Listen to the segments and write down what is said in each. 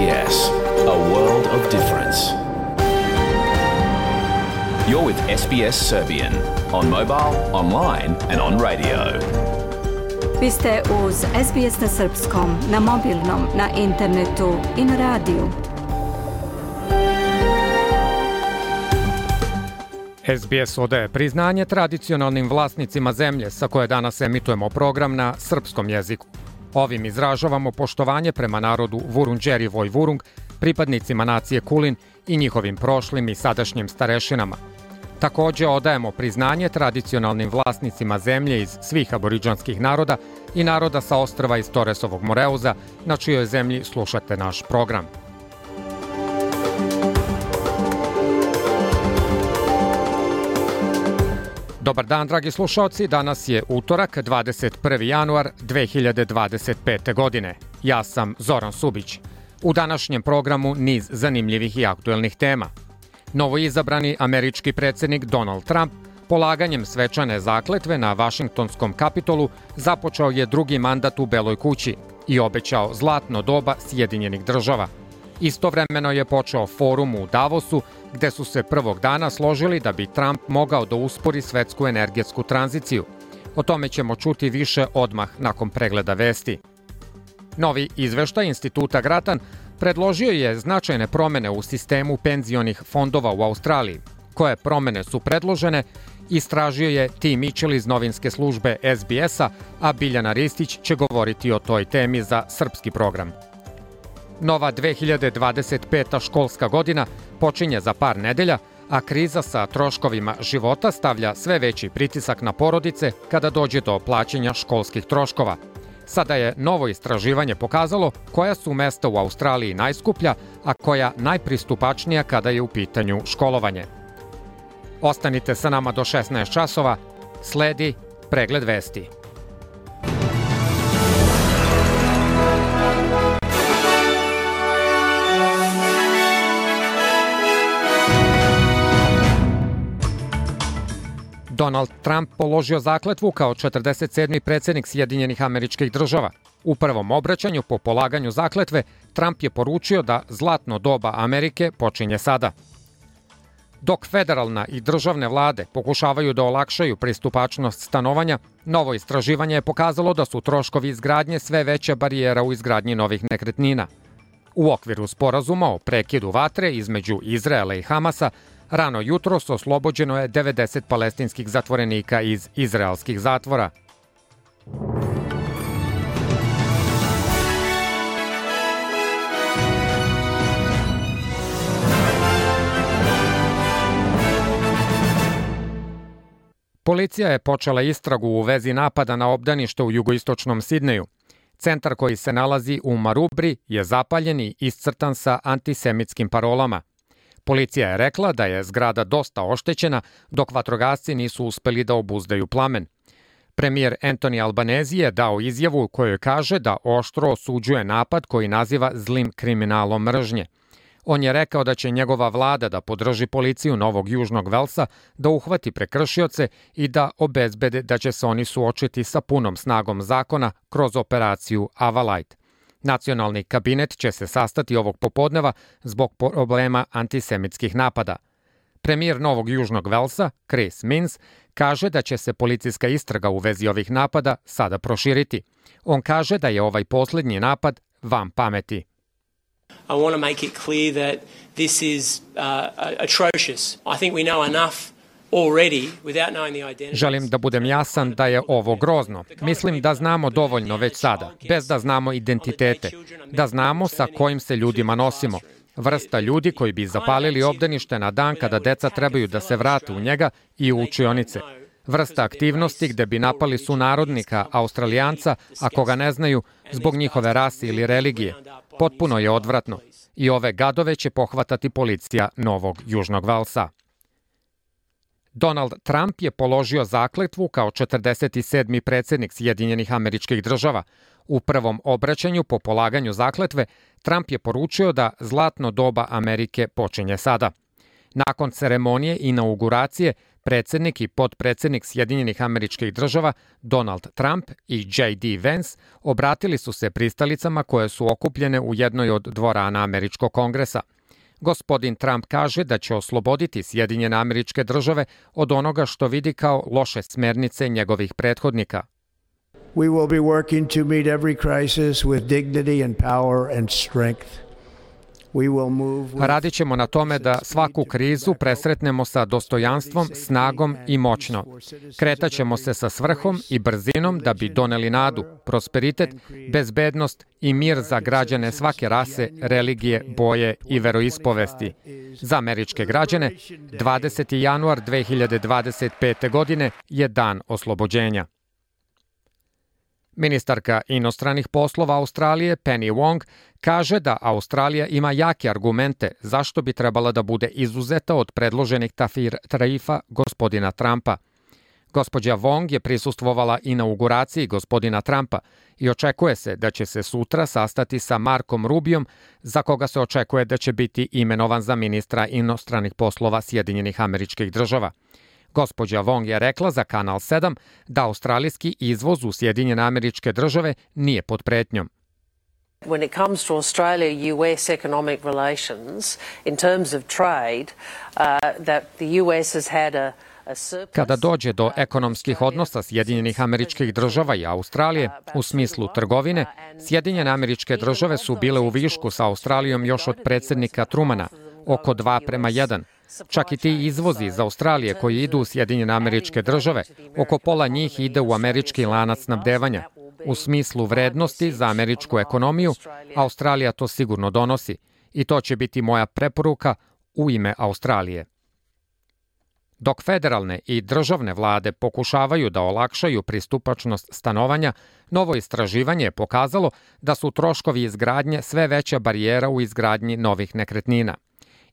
SBS, a world of difference. You're with SBS Serbian on mobile, online and on radio. Vi ste uz SBS na srpskom, na mobilnom, na internetu i na radiju. SBS odaje priznanje tradicionalnim vlasnicima zemlje sa koje danas emitujemo program na srpskom jeziku. Ovim izražavamo poštovanje prema narodu Vurundjeri Vojvurung, pripadnicima nacije Kulin i njihovim prošlim i sadašnjim starešinama. Također odajemo priznanje tradicionalnim vlasnicima zemlje iz svih aboriđanskih naroda i naroda sa ostrva iz Toresovog Moreuza, na čijoj zemlji slušate naš program. Dobar dan, dragi slušalci. Danas je utorak, 21. januar 2025. godine. Ja sam Zoran Subić. U današnjem programu niz zanimljivih i aktuelnih tema. Novoizabrani američki predsjednik Donald Trump polaganjem svečane zakletve na Vašingtonskom Kapitolu započeo je drugi mandat u Beloj kući i obećao zlatno doba Sjedinjenih država. Istovremeno je počeo forum u Davosu, gde su se prvog dana složili da bi Trump mogao da uspori svetsku energetsku tranziciju. O tome ćemo čuti više odmah nakon pregleda vesti. Novi izveštaj Instituta Gratan predložio je značajne promene u sistemu penzionih fondova u Australiji. Koje promene su predložene, istražio je Tim Mitchell iz novinske službe SBS-a, a Biljana Ristić će govoriti o toj temi za srpski program. Nova 2025. školska godina počinje za par nedelja, a kriza sa troškovima života stavlja sve veći pritisak na porodice kada dođe do plaćanja školskih troškova. Sada je novo istraživanje pokazalo koja su mesta u Australiji najskuplja, a koja najpristupačnija kada je u pitanju školovanje. Ostanite sa nama do 16 časova, sledi pregled vesti. Donald Trump položio zakletvu kao 47. predsjednik Sjedinjenih Američkih Država. U prvom obraćanju po polaganju zakletve Trump je poručio da zlatno doba Amerike počinje sada. Dok federalna i državne vlade pokušavaju da olakšaju pristupačnost stanovanja, novo istraživanje je pokazalo da su troškovi izgradnje sve veća barijera u izgradnji novih nekretnina. U okviru sporazuma o prekidu vatre između Izraela i Hamasa, rano jutros oslobođeno je 90 palestinskih zatvorenika iz izraelskih zatvora. Policija je počela istragu u vezi napada na obdanište u jugoistočnom Sidneju. Centar koji se nalazi u Marubri je zapaljen i iscrtan sa antisemitskim parolama. Policija je rekla da je zgrada dosta oštećena, dok vatrogasci nisu uspeli da obuzdaju plamen. Premijer Anthony Albanese je dao izjavu u kojoj kaže da oštro osuđuje napad koji naziva zlim kriminalom mržnje. On je rekao da će njegova vlada da podrži policiju Novog Južnog Velsa, da uhvati prekršioce i da obezbede da će se oni suočiti sa punom snagom zakona kroz operaciju Avalite. Nacionalni kabinet će se sastati ovog popodneva zbog problema antisemitskih napada. Premijer Novog Južnog Velsa, Chris Minns, kaže da će se policijska istraga u vezi ovih napada sada proširiti. On kaže da je ovaj posljednji napad van pameti. I want to make it clear that this is atrocious. I think we know enough already without knowing the identity. Želim da budem jasan da je ovo grozno. Mislim da znamo dovoljno već sada, bez da znamo identitete, da znamo sa kojim se ljudima nosimo. Vrsta ljudi koji bi zapalili obdanište na dan kada deca trebaju da se vrate u njega i u učionice. Vrsta aktivnosti gde bi napali sunarodnika, Australijanca, ako ga ne znaju, zbog njihove rase ili religije. Potpuno je odvratno. I ove gadove će pohvatati policija Novog Južnog Velsa. Donald Trump je položio zakletvu kao 47. predsjednik Sjedinjenih Američkih Država. U prvom obraćanju po polaganju zakletve Trump je poručio da zlatno doba Amerike počinje sada. Nakon ceremonije inauguracije, Predsjednik i potpredsjednik Sjedinjenih Američkih Država Donald Trump i J.D. Vance obratili su se pristalicama koje su okupljene u jednoj od dvorana Američkog kongresa. Gospodin Trump kaže da će osloboditi Sjedinjene Američke Države od onoga što vidi kao loše smernice njegovih prethodnika. We will be working to meet every crisis with dignity and power and strength. Radit ćemo na tome da svaku krizu presretnemo sa dostojanstvom, snagom i moćno. Kretaćemo se sa svrhom i brzinom da bi doneli nadu, prosperitet, bezbednost i mir za građane svake rase, religije, boje i veroispovesti. Za američke građane, 20. januar 2025. godine je dan oslobođenja. Ministarka inostranih poslova Australije Penny Wong kaže da Australija ima jake argumente zašto bi trebala da bude izuzeta od predloženih tarifa gospodina Trumpa. Gospođa Wong je prisustvovala inauguraciji gospodina Trumpa i očekuje se da će se sutra sastati sa Markom Rubiom, za koga se očekuje da će biti imenovan za ministra inostranih poslova Sjedinjenih Američkih Država. Gospođa Wong je rekla za Kanal 7 da australijski izvoz u Sjedinjene Američke Države nije pod pretnjom. When it comes to Australia-US economic relations, in terms of trade, that the US has had a Kada dođe do ekonomskih odnosa Sjedinjenih Američkih Država i Australije, u smislu trgovine, Sjedinjene Američke Države su bile u višku sa Australijom još od predsjednika Trumana, oko 2:1. Čak i ti izvozi iz Australije koji idu u Sjedinjene Američke Države, oko pola njih ide u američki lanac snabdevanja. U smislu vrednosti za američku ekonomiju, Australija to sigurno donosi i to će biti moja preporuka u ime Australije. Dok federalne i državne vlade pokušavaju da olakšaju pristupačnost stanovanja, novo istraživanje je pokazalo da su troškovi izgradnje sve veća barijera u izgradnji novih nekretnina.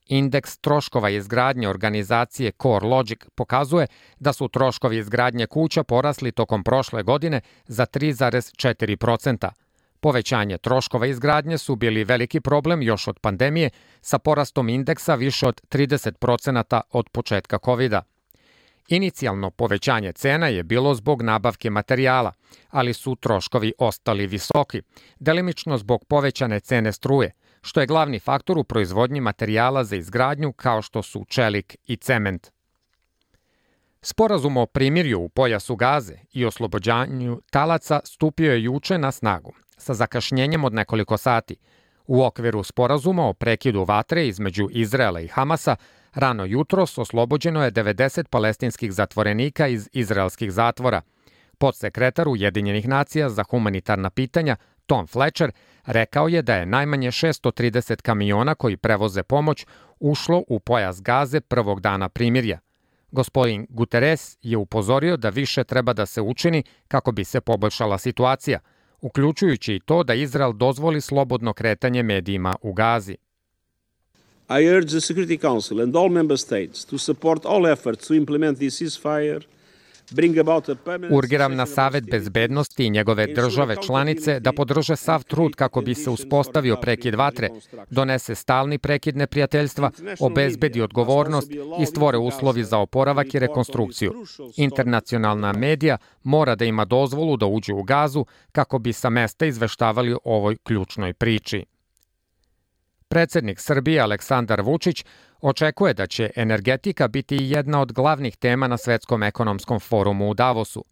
Indeks troškova izgradnje organizacije CoreLogic pokazuje da su troškovi izgradnje kuća porasli tokom prošle godine za 3,4%. Povećanje troškova izgradnje su bili veliki problem još od pandemije, sa porastom indeksa više od 30% od početka COVID-a. Inicijalno povećanje cena je bilo zbog nabavke materijala, ali su troškovi ostali visoki, delimično zbog povećane cene struje, što je glavni faktor u proizvodnji materijala za izgradnju kao što su čelik i cement. Sporazum o primirju u pojasu Gaze i oslobođanju talaca stupio je juče na snagu, sa zakašnjenjem od nekoliko sati. U okviru sporazuma o prekidu vatre između Izraela i Hamasa, rano jutros oslobođeno je 90 palestinskih zatvorenika iz izraelskih zatvora. Podsekretar Ujedinjenih nacija za humanitarna pitanja Tom Fletcher rekao je da je najmanje 630 kamiona koji prevoze pomoć ušlo u pojas Gaze prvog dana primirja. Gospodin Guterres je upozorio da više treba da se učini kako bi se poboljšala situacija, uključujući i to da Izrael dozvoli slobodno kretanje medijima u Gazi. I urge the Security Council and all member states to support all efforts to implement this ceasefire. Urgiram na Savet bezbednosti i njegove države članice da podrže sav trud kako bi se uspostavio prekid vatre, donese stalni prekid neprijateljstva, obezbedi odgovornost i stvore uslovi za oporavak i rekonstrukciju. Internacionalna medija mora da ima dozvolu da uđe u Gazu kako bi sa mesta izveštavali o ovoj ključnoj priči. Predsjednik Srbije Aleksandar Vučić očekuje da će energetika biti jedna od glavnih tema na Svetskom ekonomskom forumu u Davosu.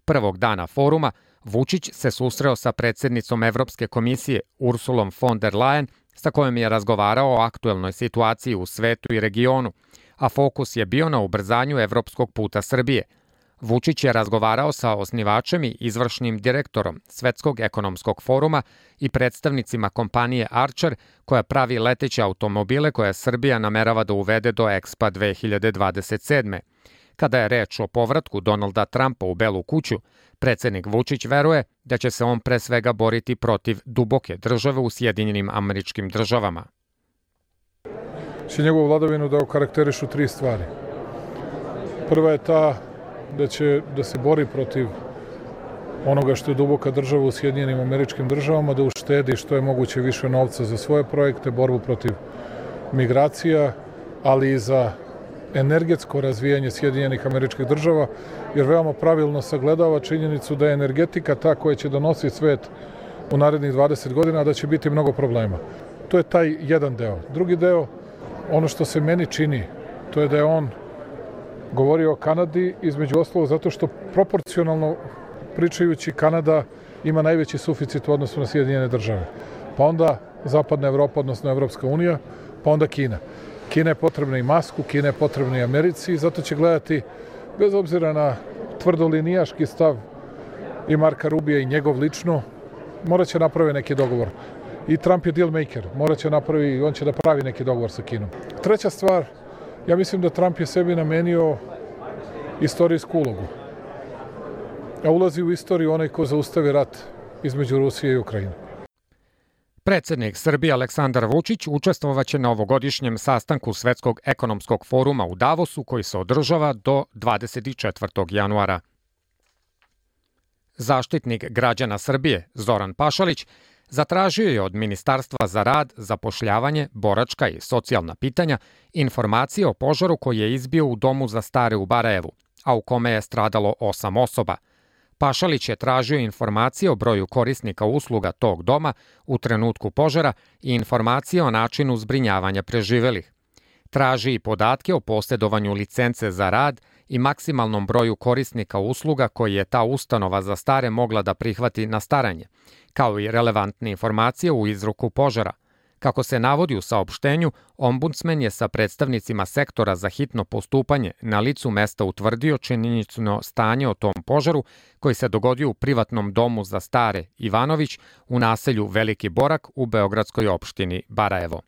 Prvog dana foruma Vučić se susreo sa predsjednicom Evropske komisije Ursulom von der Leyen, sa kojom je razgovarao o aktuelnoj situaciji u svetu i regionu, a fokus je bio na ubrzanju evropskog puta Srbije. Vučić je razgovarao sa osnivačem i izvršnim direktorom Svetskog ekonomskog foruma i predstavnicima kompanije Archer, koja pravi leteće automobile koje Srbija namerava da uvede do Expa 2027. Kada je reč o povratku Donalda Trumpa u Belu kuću, predsjednik Vučić veruje da će se on pre svega boriti protiv duboke države u Sjedinjenim Američkim Državama. Će njegovu vladavinu da okarakterišu 3 stvari. Prva je ta da će da se bori protiv onoga što je duboka država u Sjedinjenim Američkim Državama, da uštedi što je moguće više novca za svoje projekte, borbu protiv migracija, ali i za energetsko razvijanje Sjedinjenih Američkih Država, jer veoma pravilno sagledava činjenicu da je energetika ta koja će donositi svet u narednih 20 godina, a da će biti mnogo problema. To je taj jedan deo. Drugi deo, ono što se meni čini, to je da je on govorio o Kanadi, između ostalog zato što proporcionalno pričajući Kanada ima najveći suficit u odnosu na Sjedinjene Države. Pa onda Zapadna Evropa, odnosno Evropska unija, pa onda Kina. Kina je potrebna i Masku, Kina je potrebna i Americi i zato će gledati, bez obzira na tvrdolinijaški stav i Marka Rubija i njegov lično, morat će napravi neki dogovor. I Trump je deal maker, on će da pravi neki dogovor sa Kinom. Treća stvar, ja mislim da Trump je sebi namenio istorijsku ulogu. A ulazi u istoriju onaj ko zaustavi rat između Rusije i Ukrajine. Predsednik Srbije Aleksandar Vučić učestvovaće na ovogodišnjem sastanku Svetskog ekonomskog foruma u Davosu koji se održava do 24. januara. Zaštitnik građana Srbije Zoran Pašalić zatražio je od Ministarstva za rad, zapošljavanje, boračka i socijalna pitanja informacije o požaru koji je izbio u domu za stare u Barajevu, a u kome je stradalo 8 osoba. Pašalić je tražio informacije o broju korisnika usluga tog doma u trenutku požara i informacije o načinu zbrinjavanja preživelih. Traži i podatke o posjedovanju licence za rad i maksimalnom broju korisnika usluga koji je ta ustanova za stare mogla da prihvati na staranje, kao i relevantne informacije u izruku požara. Kako se navodi u saopštenju, ombudsmen je sa predstavnicima sektora za hitno postupanje na licu mesta utvrdio činjenično stanje o tom požaru koji se dogodio u privatnom domu za stare Ivanović u naselju Veliki Borak u beogradskoj opštini Barajevo.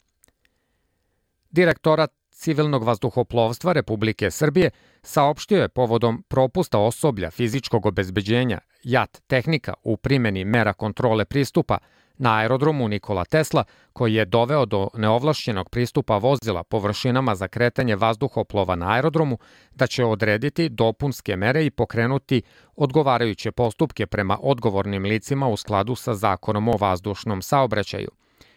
Direktorat civilnog vazduhoplovstva Republike Srbije saopštio je povodom propusta osoblja fizičkog obezbeđenja JAT tehnika u primjeni mera kontrole pristupa na aerodromu Nikola Tesla, koji je doveo do neovlašćenog pristupa vozila površinama za kretanje vazduhoplova na aerodromu, da će odrediti dopunske mere i pokrenuti odgovarajuće postupke prema odgovornim licima u skladu sa Zakonom o vazdušnom saobraćaju.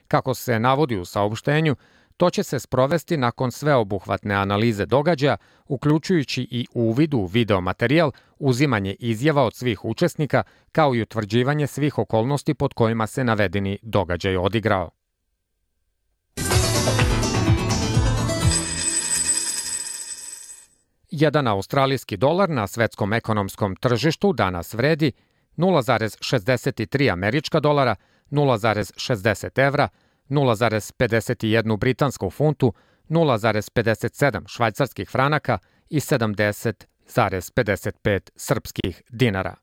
Kako se navodi u saopštenju, to će se sprovesti nakon sveobuhvatne analize događaja, uključujući i uvid u videomaterijal, uzimanje izjava od svih učesnika, kao i utvrđivanje svih okolnosti pod kojima se navedeni događaj odigrao. Jedan australijski dolar na svetskom ekonomskom tržištu danas vredi 0,63 američka dolara, 0,60 evra, 0,51 britansku funtu, 0,57 švajcarskih franaka i 70,55 srpskih dinara.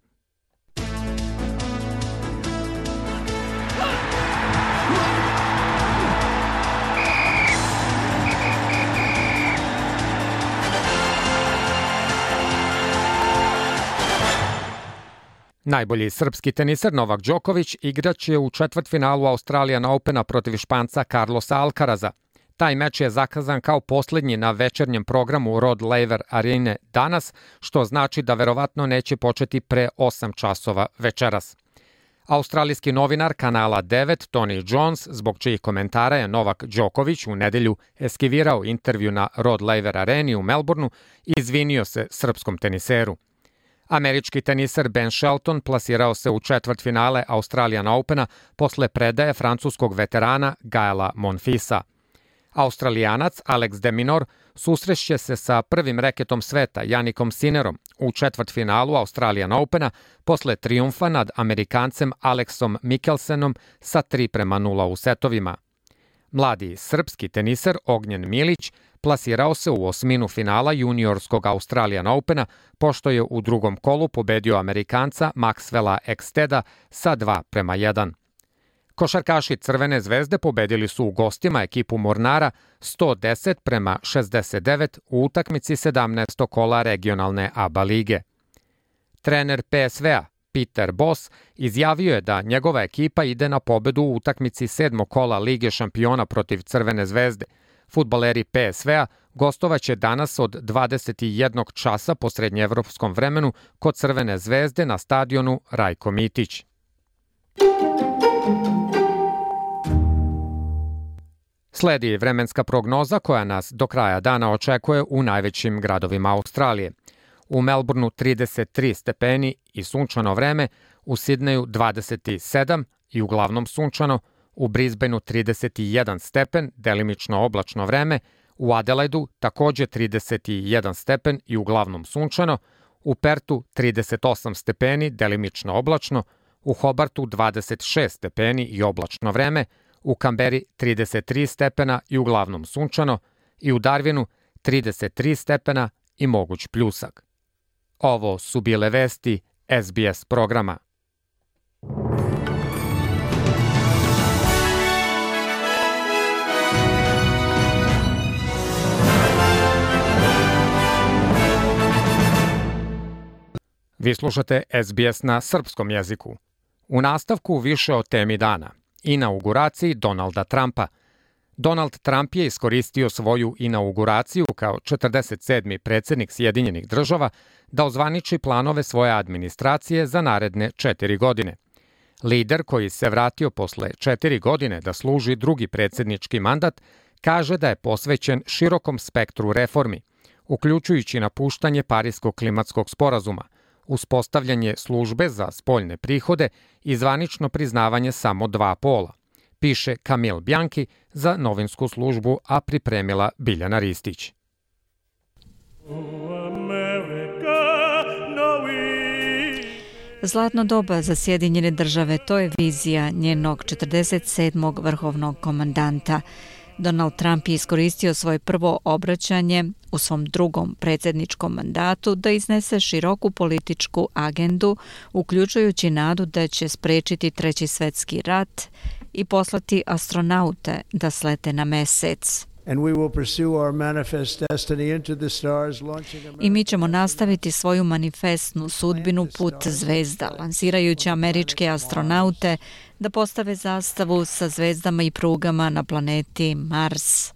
Najbolji srpski teniser Novak Đoković igraće u četvrtfinalu Australian Opena protiv Španca Carlosa Alcaraza. Taj meč je zakazan kao posljednji na večernjem programu Rod Laver Arene danas, što znači da verovatno neće početi pre 8 časova večeras. Australijski novinar kanala 9 Tony Jones, zbog čijih komentara je Novak Đoković u nedelju eskivirao intervju na Rod Laver Areni u Melbourneu, izvinio se srpskom teniseru. Američki teniser Ben Shelton plasirao se u četvrtfinale Australian Opena posle predaje francuskog veterana Gaela Monfilsa. Australijanac Alex de Minaur susrešće se sa prvim reketom sveta Janikom Sinnerom u četvrtfinalu Australian Opena posle trijumfa nad Amerikancem Alexom Mikkelsenom sa 3:0 u setovima. Mladi srpski teniser Ognjen Milić plasirao se u osminu finala juniorskog Australian Opena, pošto je u drugom kolu pobedio Amerikanca Maxwella Eksteda sa 2:1. Košarkaši Crvene zvezde pobedili su u gostima ekipu Mornara 110:69 u utakmici 17. kola regionalne ABA lige. Trener PSV-a Peter Bosz izjavio je da njegova ekipa ide na pobedu u utakmici 7. kola Lige šampiona protiv Crvene zvezde. Fudbaleri PSV-a gostovaće danas od 21 časa po srednjeevropskom vremenu kod Crvene zvezde na stadionu Rajko Mitić. Sledi vremenska prognoza koja nas do kraja dana očekuje u najvećim gradovima Australije. U Melbourneu 33 stepeni i sunčano vreme, u Sidneju 27 i uglavnom sunčano, u Brisbaneu 31 stepen, delimično oblačno vreme, u Adelaidu takođe 31 stepen i uglavnom sunčano, u Pertu 38 stepeni, delimično oblačno, u Hobartu 26 stepeni i oblačno vreme, u Kamberi 33 stepena i uglavnom sunčano i u Darwinu 33 stepena i moguć pljusak. Ovo su bile vesti SBS programa. Vi slušate SBS na srpskom jeziku. U nastavku više o temi dana. Inauguraciji Donalda Trumpa. Donald Trump je iskoristio svoju inauguraciju kao 47. predsjednik Sjedinjenih država da ozvaniči planove svoje administracije za naredne 4 godine. Lider koji se vratio posle 4 godine da služi drugi predsjednički mandat kaže da je posvećen širokom spektru reformi, uključujući napuštanje Pariskog klimatskog sporazuma, uspostavljanje službe za spoljne prihode i zvanično priznavanje samo 2 pola, piše Kamil Bjanki za novinsku službu, a pripremila Biljana Ristić. Zlatno doba za Sjedinjene države, to je vizija njenog 47. vrhovnog komandanta. Donald Trump je iskoristio svoje prvo obraćanje u svom drugom predsjedničkom mandatu da iznese široku političku agendu, uključujući nadu da će sprečiti Treći svjetski rat i poslati astronaute da slete na Mesec. I mi ćemo nastaviti svoju manifestnu sudbinu Put zvezda, lansirajući američke astronaute da postave zastavu sa zvezdama i prugama na planeti Mars.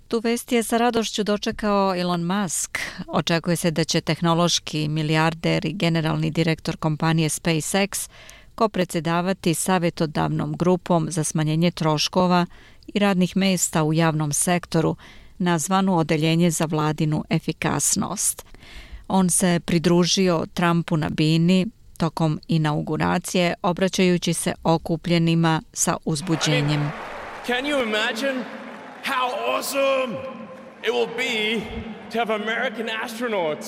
Tu vest je sa radošću dočekao Elon Musk. Očekuje se da će tehnološki milijarder i generalni direktor kompanije SpaceX kopredsjedavati savjetodavnom grupom za smanjenje troškova i radnih mesta u javnom sektoru, nazvanu Odeljenje za vladinu efikasnost. On se pridružio Trumpu na bini tokom inauguracije, obraćajući se okupljenima sa uzbuđenjem. Can you imagine how awesome it will be to have American astronauts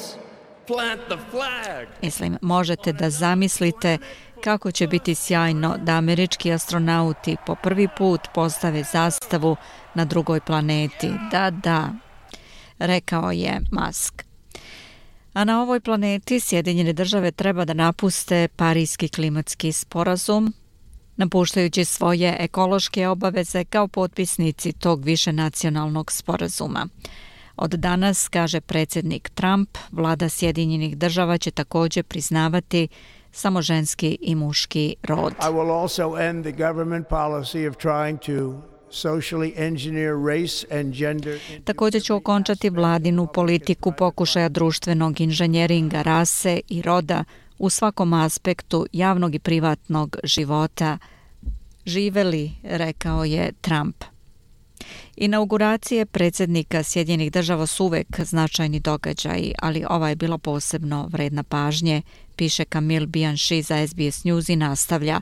plant the flag? Mislim, možete da zamislite kako će biti sjajno da američki astronauti po prvi put postave zastavu na drugoj planeti. Da, rekao je Musk. A na ovoj planeti Sjedinjene države treba da napuste Pariski klimatski sporazum, napuštajući svoje ekološke obaveze kao potpisnici tog višenacionalnog sporazuma. Od danas, kaže predsjednik Trump, vlada Sjedinjenih država će također priznavati samo ženski i muški rod. I will also end the government policy of trying to socially engineer race and gender. Također će okončati vladinu politiku pokušaja društvenog inženjeringa rase i roda u svakom aspektu javnog i privatnog života. Živeli, rekao je Trump. Inauguracije predsjednika Sjedinjenih država su uvek značajni događaji, ali ova je bila posebno vredna pažnje, piše Kamil Bianchi za SBS News i nastavlja.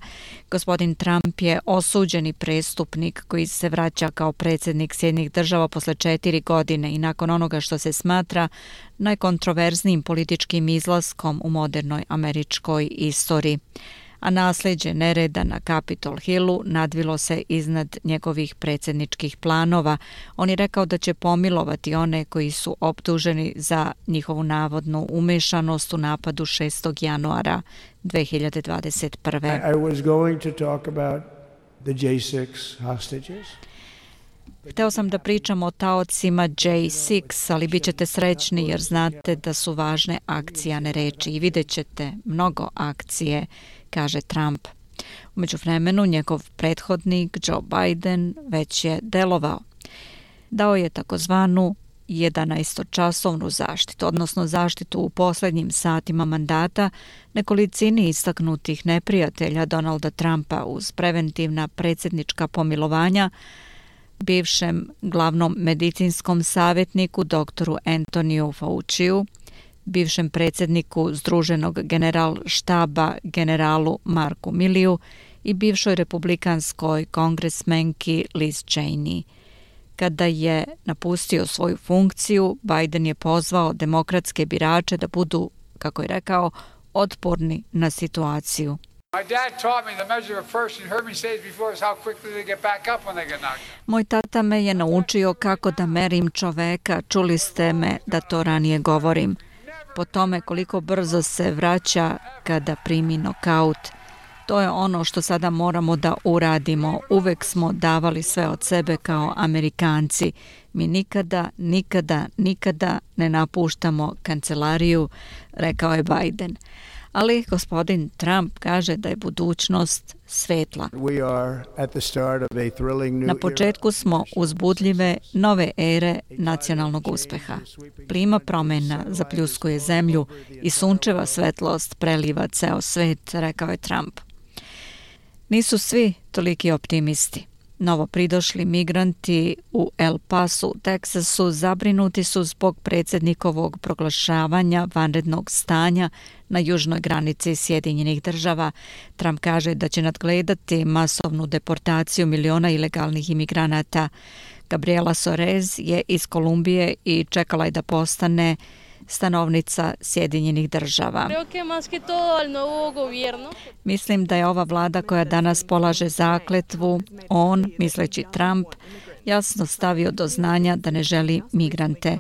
Gospodin Trump je osuđeni prestupnik koji se vraća kao predsjednik Sjedinjenih država posle 4 godine i nakon onoga što se smatra najkontroverznijim političkim izlaskom u modernoj američkoj istoriji. A nasljeđe nereda na Capitol Hillu nadvilo se iznad njegovih predsjedničkih planova. On je rekao da će pomilovati one koji su optuženi za njihovu navodnu umešanost u napadu 6. januara 2021. I was going to talk about the J6 hostages. Hteo sam da pričam o taocima J6, ali bit ćete srećni jer znate da su važne akcije, a ne reči. I vidjet ćete mnogo akcije, kaže Trump. U međuvremenu njegov prethodnik Joe Biden već je delovao. Dao je takozvanu 11-časovnu zaštitu, odnosno zaštitu u posljednjim satima mandata nekolicini istaknutih neprijatelja Donalda Trumpa uz preventivna predsjednička pomilovanja, bivšem glavnom medicinskom savjetniku doktoru Antoniju Fauciju, bivšem predsjedniku Združenog generalštaba generalu Marku Milliju i bivšoj republikanskoj kongresmenki Liz Cheney. Kada je napustio svoju funkciju, Biden je pozvao demokratske birače da budu, kako je rekao, otporni na situaciju. Moj tata me je naučio kako da merim čoveka, čuli ste me da to ranije govorim. Po tome koliko brzo se vraća kada primi nokaut. To je ono što sada moramo da uradimo. Uvek smo davali sve od sebe kao Amerikanci. Mi nikada ne napuštamo kancelariju, rekao je Biden. Ali gospodin Trump kaže da je budućnost svetla. Na početku smo uzbudljive nove ere nacionalnog uspeha. Plima promjena zapljuskuje zemlju i sunčeva svetlost preliva ceo svet, rekao je Trump. Nisu svi toliki optimisti. Novo pridošli migranti u El Pasu, Teksasu, zabrinuti su zbog predsjednikovog proglašavanja vanrednog stanja na južnoj granici Sjedinjenih država. Trump kaže da će nadgledati masovnu deportaciju miliona ilegalnih imigranata. Gabriela Soares je iz Kolumbije i čekala je da postane stanovnica Sjedinjenih država. Mislim da je ova vlada koja danas polaže zakletvu, on, misleći Trump, jasno stavio do znanja da ne želi migrante.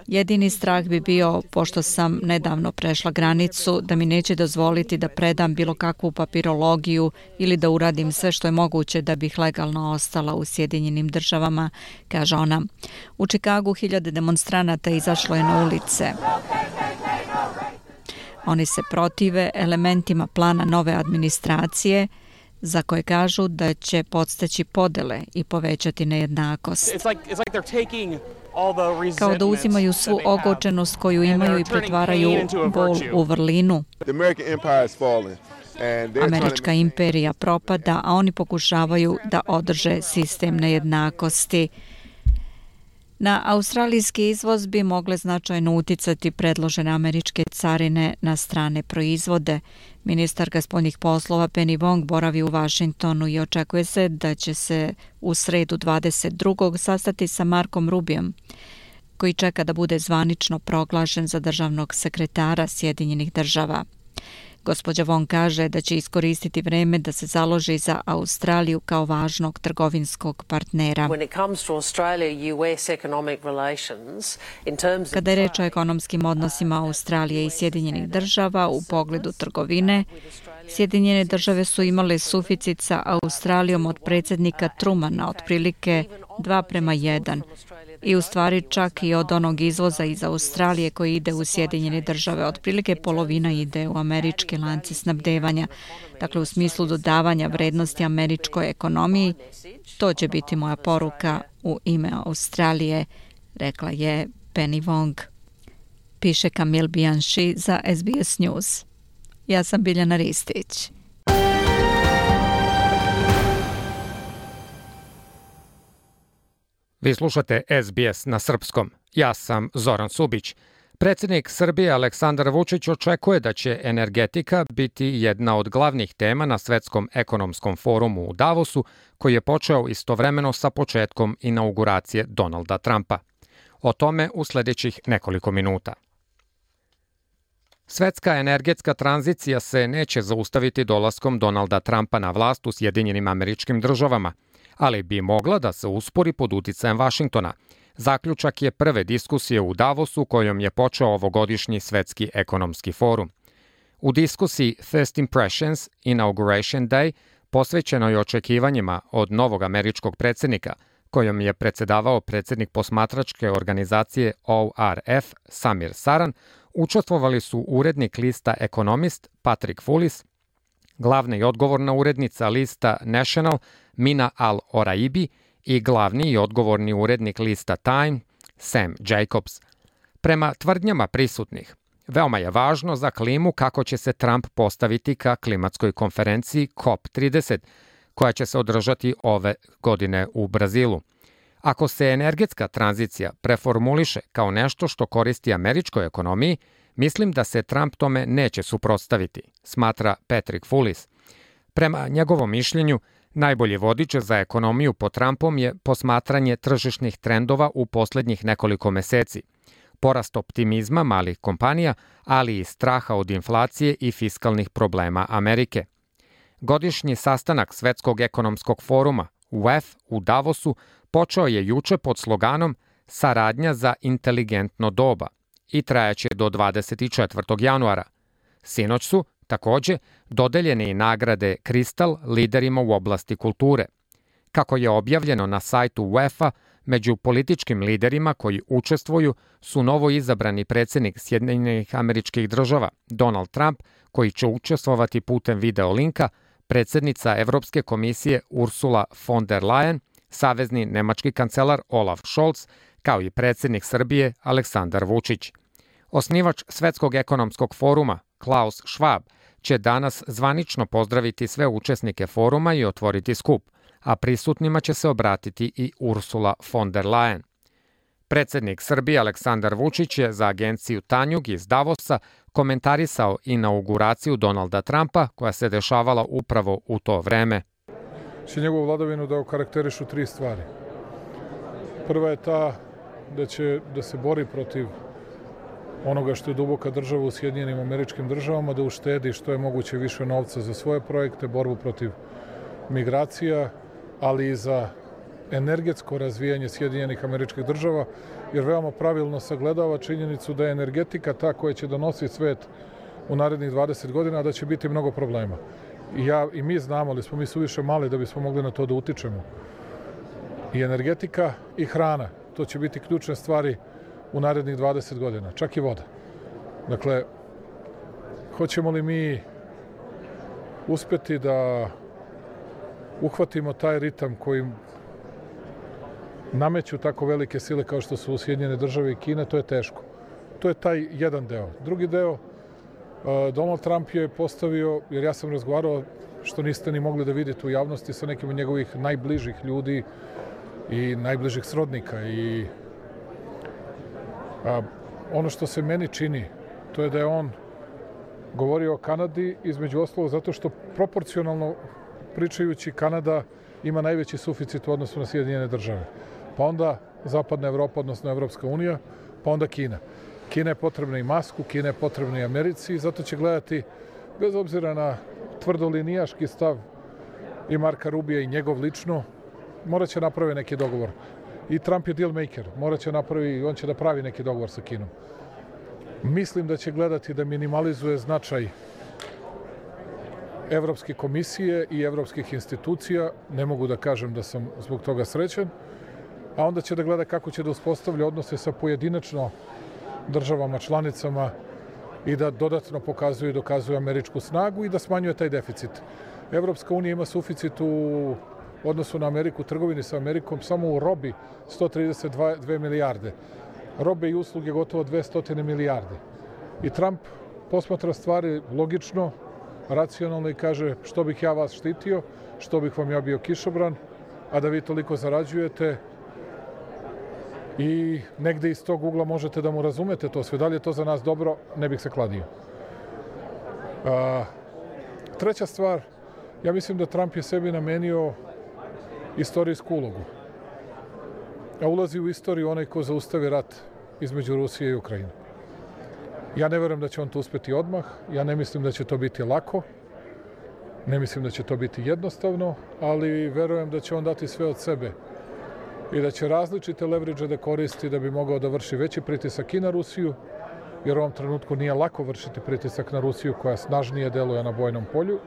Jedini strah bi bio, pošto sam nedavno prešla granicu, da mi neće dozvoliti da predam bilo kakvu papirologiju ili da uradim sve što je moguće da bih legalno ostala u Sjedinjenim državama, kaže ona. U Čikagu 1000 demonstranata izašlo je na ulice. Oni se protive elementima plana nove administracije, za koje kažu da će podstaći podele i povećati nejednakost. Kao da uzimaju svu ogorčenost koju imaju i pretvaraju bol u vrlinu. Američka imperija propada, a oni pokušavaju da održe sistem nejednakosti. Na australijski izvoz bi mogle značajno uticati predložene američke carine na strane proizvode. Ministarka spoljnih poslova Penny Wong boravi u Vašingtonu i očekuje se da će se u sredu 22. sastati sa Markom Rubiom, koji čeka da bude zvanično proglašen za državnog sekretara Sjedinjenih država. Gospođa Wong kaže da će iskoristiti vreme da se založi za Australiju kao važnog trgovinskog partnera. Kada je reč o ekonomskim odnosima Australije i Sjedinjenih država u pogledu trgovine, Sjedinjene države su imale suficit sa Australijom od predsjednika Trumana, otprilike 2:1. I u stvari čak i od onog izvoza iz Australije koji ide u Sjedinjene države, otprilike polovina ide u američke lance snabdevanja. Dakle, u smislu dodavanja vrednosti američkoj ekonomiji, to će biti moja poruka u ime Australije, rekla je Penny Wong. Piše Kamil Bianchi za SBS News. Ja sam Biljana Ristić. Vi slušate SBS na srpskom. Ja sam Zoran Subić. Predsjednik Srbije Aleksandar Vučić očekuje da će energetika biti jedna od glavnih tema na Svetskom ekonomskom forumu u Davosu, koji je počeo istovremeno sa početkom inauguracije Donalda Trumpa. O tome u sljedećih nekoliko minuta. Svetska energetska tranzicija se neće zaustaviti dolaskom Donalda Trumpa na vlast u Sjedinjenim Američkim Državama, ali bi mogla da se uspori pod uticajem Vašingtona. Zaključak je prve diskusije u Davosu kojom je počeo ovogodišnji Svetski ekonomski forum. U diskusiji First Impressions Inauguration Day posvećenoj očekivanjima od novog američkog predsjednika, kojom je predsjedavao predsjednik posmatračke organizacije ORF Samir Saran, učestvovali su urednik lista Economist Patrick Fullis, glavna i odgovorna urednica lista National Mina Al-Oraibi i glavni i odgovorni urednik lista Time Sam Jacobs. Prema tvrdnjama prisutnih, veoma je važno za klimu kako će se Trump postaviti ka klimatskoj konferenciji COP30, koja će se održati ove godine u Brazilu. Ako se energetska tranzicija preformuliše kao nešto što koristi američkoj ekonomiji, mislim da se Trump tome neće suprotstaviti, smatra Patrick Fullis. Prema njegovom mišljenju, najbolji vodič za ekonomiju po Trumpom je posmatranje tržišnih trendova u poslednjih nekoliko meseci, porast optimizma malih kompanija, ali i straha od inflacije i fiskalnih problema Amerike. Godišnji sastanak Svetskog ekonomskog foruma, WEF, u Davosu počeo je juče pod sloganom Saradnja za inteligentno doba i trajaće do 24. januara. Sinoć su, takođe, dodeljene i nagrade Kristal liderima u oblasti kulture. Kako je objavljeno na sajtu UEFA, među političkim liderima koji učestvuju su novo izabrani predsjednik Sjedinjenih Američkih Država Donald Trump, koji će učestvovati putem video linka, predsjednica Evropske komisije Ursula von der Leyen, savezni nemački kancelar Olaf Scholz, kao i predsjednik Srbije Aleksandar Vučić. Osnivač Svetskog ekonomskog foruma Klaus Schwab će danas zvanično pozdraviti sve učesnike foruma i otvoriti skup, a prisutnima će se obratiti i Ursula von der Leyen. Predsjednik Srbije Aleksandar Vučić je za agenciju Tanjug iz Davosa komentarisao inauguraciju Donalda Trumpa koja se dešavala upravo u to vreme. Će njegovu vladavinu da okarakterišu tri stvari. Prva je ta da se bori protiv onoga što je duboka država u Sjedinjenim Američkim Državama, da uštedi što je moguće više novca za svoje projekte, borbu protiv migracija, ali i za energetsko razvijanje Sjedinjenih Američkih Država, jer veoma pravilno sagledava činjenicu da je energetika ta koja će donositi svet u narednih 20 godina, a da će biti mnogo problema. I mi znamo, ali smo mi suviše mali da bismo mogli na to da utičemo. I energetika i hrana, to će biti ključne stvari u narednih 20 godina, čak i voda. Dakle, hoćemo li mi uspeti da uhvatimo taj ritam kojim nameću tako velike sile kao što su Sjedinjene Države i Kina, to je teško. To je taj jedan deo. Drugi deo, Donald Trump je postavio, jer ja sam razgovarao, što niste ni mogli da vidite u javnosti, sa nekim od njegovih najbližih ljudi i najbližih srodnika. I ono što se meni čini, to je da je on govorio o Kanadi, između ostalog zato što proporcionalno pričajući Kanada ima najveći suficit u odnosu na Sjedinjene Države. Pa onda Zapadna Evropa, odnosno Evropska unija, pa onda Kina. Kina je potrebna i masku, Kina je potrebna i Americi i zato će gledati, bez obzira na tvrdolinijaški stav i Marka Rubija i njegov lično, morat će napravi neki dogovor. I Trump je deal maker, on će da pravi neki dogovor sa Kinom. Mislim da će gledati da minimalizuje značaj Evropske komisije i evropskih institucija, ne mogu da kažem da sam zbog toga srećan, a onda će da gleda kako će da uspostavlja odnose sa pojedinačno državama, članicama i da dodatno pokazuje i dokazuje američku snagu i da smanjuje taj deficit. Evropska unija ima suficit u odnosu na Ameriku, trgovini sa Amerikom, samo u robi 132 milijarde. Robe i usluge gotovo 200 milijarde. I Trump posmatra stvari logično, racionalno i kaže što bih ja vas štitio, što bih vam ja bio kišobran, a da vi toliko zarađujete i negde iz tog ugla možete da mu razumete to sve. Da li je to za nas dobro, ne bih se kladio. Treća stvar, ja mislim da Trump je sebi namenio istorijsku ulogu. A ulazi u istoriju onaj ko zaustavi rat između Rusije i Ukrajine. Ja ne verujem da će on to uspeti odmah, ja ne mislim da će to biti lako, ne mislim da će to biti jednostavno, ali verujem da će on dati sve od sebe i da će različite leverage da koristi da bi mogao da vrši veći pritisak i na Rusiju, jer u ovom trenutku nije lako vršiti pritisak na Rusiju koja snažnije deluje na bojnom polju.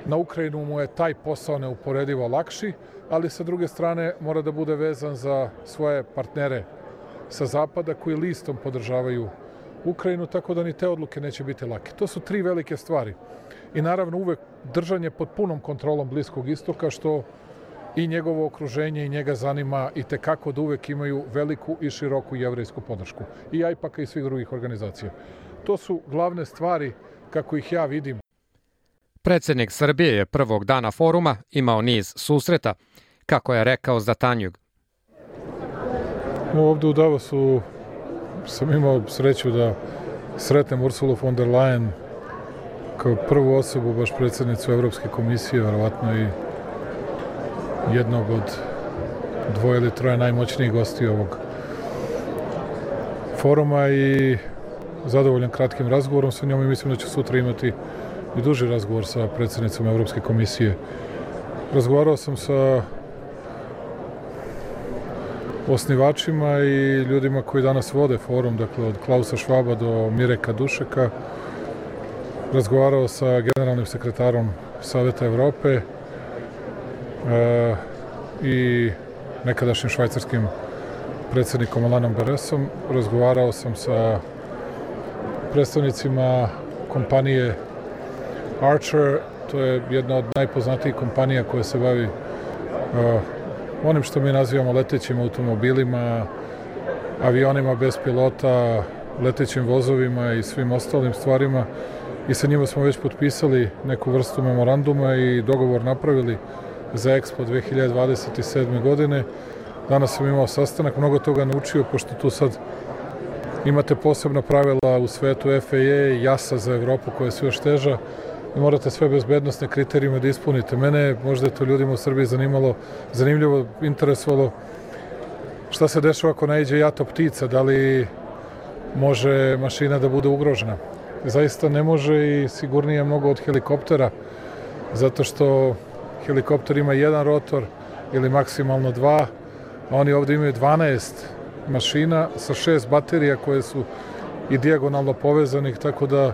Na Ukrajinu mu je taj posao neuporedivo lakši, ali sa druge strane mora da bude vezan za svoje partnere sa zapada koji listom podržavaju Ukrajinu, tako da ni te odluke neće biti lake. To su tri velike stvari. I naravno uvek držanje pod punom kontrolom Bliskog istoka, što i njegovo okruženje i njega zanima i tekako da uvek imaju veliku i široku jevrejsku podršku. I AIPAC-a i svih drugih organizacija. To su glavne stvari kako ih ja vidim. Predsjednik Srbije je prvog dana foruma imao niz susreta, kako je rekao za Tanjug. Ovde u Davosu sam imao sreću da sretnem Ursulu von der Leyen kao prvu osobu, baš predsjednicu Evropske komisije, verovatno i jednog od dvoje ili troje najmoćnijih gosti ovog foruma i zadovoljan kratkim razgovorom sa njom i mislim da ću sutra imati i duži razgovor sa predsjednicom Evropske komisije. Razgovarao sam sa osnivačima i ljudima koji danas vode forum, dakle od Klausa Schwaba do Mireka Dušeka. Razgovarao sa generalnim sekretarom Saveta Evrope i nekadašnjim švajcarskim predsjednikom Alanom Beresom. Razgovarao sam sa predstavnicima kompanije Archer, to je jedna od najpoznatijih kompanija koja se bavi onim što mi nazivamo letećim automobilima, avionima bez pilota, letećim vozovima i svim ostalim stvarima. I sa njima smo već potpisali neku vrstu memoranduma i dogovor napravili za Expo 2027. godine. Danas sam imao sastanak, mnogo toga naučio, pošto tu sad imate posebna pravila u svetu FAA, JASA za Evropu koja su još teža i morate sve bezbednostne kriterijume da ispunite. Mene, možda je to ljudima u Srbiji zanimljivo, interesovalo šta se dešava ako naiđe jato ptica, da li može mašina da bude ugrožena. Zaista ne može i sigurnije mnogo od helikoptera, zato što helikopter ima jedan rotor ili maksimalno dva, a oni ovdje imaju 12 mašina sa 6 baterija koje su i dijagonalno povezanih, tako da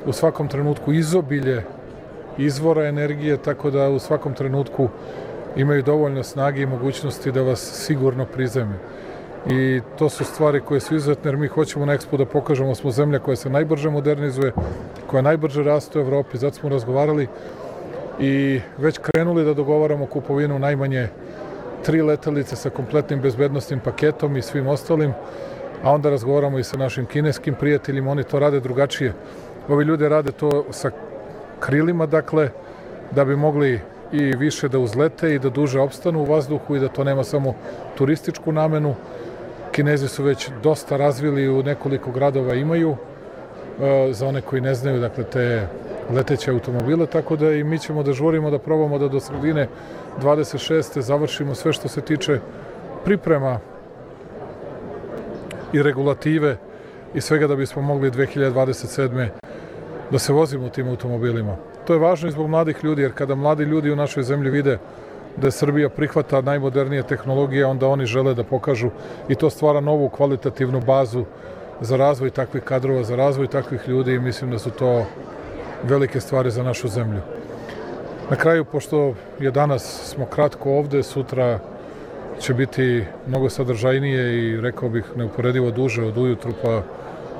u svakom trenutku izobilje izvora energije, tako da u svakom trenutku imaju dovoljno snage i mogućnosti da vas sigurno prizeme. I to su stvari koje su izuzetne, jer mi hoćemo na Expo da pokažemo smo zemlja koja se najbrže modernizuje, koja najbrže raste u Evropi, zato smo razgovarali i već krenuli da dogovaramo kupovinu najmanje 3 letelice sa kompletnim bezbednostnim paketom i svim ostalim, a onda razgovaramo i sa našim kineskim prijateljima, oni to rade drugačije. Ovi ljudi rade to sa krilima, dakle, da bi mogli i više da uzlete i da duže opstanu u vazduhu i da to nema samo turističku namenu. Kinezi su već dosta razvili, u nekoliko gradova imaju, za one koji ne znaju, dakle, te leteće automobile, tako da i mi ćemo da žurimo, da probamo da do sredine 26. završimo sve što se tiče priprema i regulative i svega da bismo mogli 2027. da se vozimo u tim automobilima. To je važno i zbog mladih ljudi, jer kada mladi ljudi u našoj zemlji vide da je Srbija prihvata najmodernije tehnologije, onda oni žele da pokažu i to stvara novu kvalitativnu bazu za razvoj takvih kadrova, za razvoj takvih ljudi i mislim da su to velike stvari za našu zemlju. Na kraju, pošto je danas smo kratko ovde, sutra će biti mnogo sadržajnije i rekao bih neuporedivo duže od ujutru pa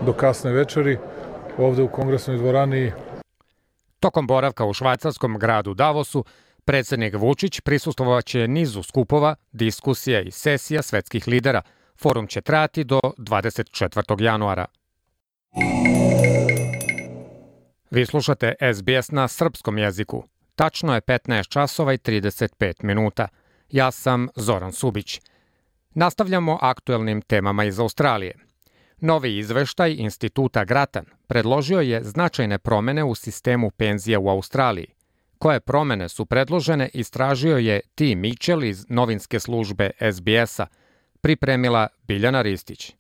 do kasne večeri ovde u kongresnoj dvorani. Tokom boravka u švajcarskom gradu Davosu, predsjednik Vučić prisustvovaće nizu skupova, diskusija i sesija svetskih lidera. Forum će trajati do 24. januara. Vi slušate SBS na srpskom jeziku. Tačno je 15 časova i 35 minuta. Ja sam Zoran Subić. Nastavljamo aktuelnim temama iz Australije. Novi izveštaj Instituta Grattan predložio je značajne promene u sistemu penzija u Australiji. Koje promene su predložene istražio je Tim Mitchell iz novinske službe SBS-a, pripremila Biljana Ristić.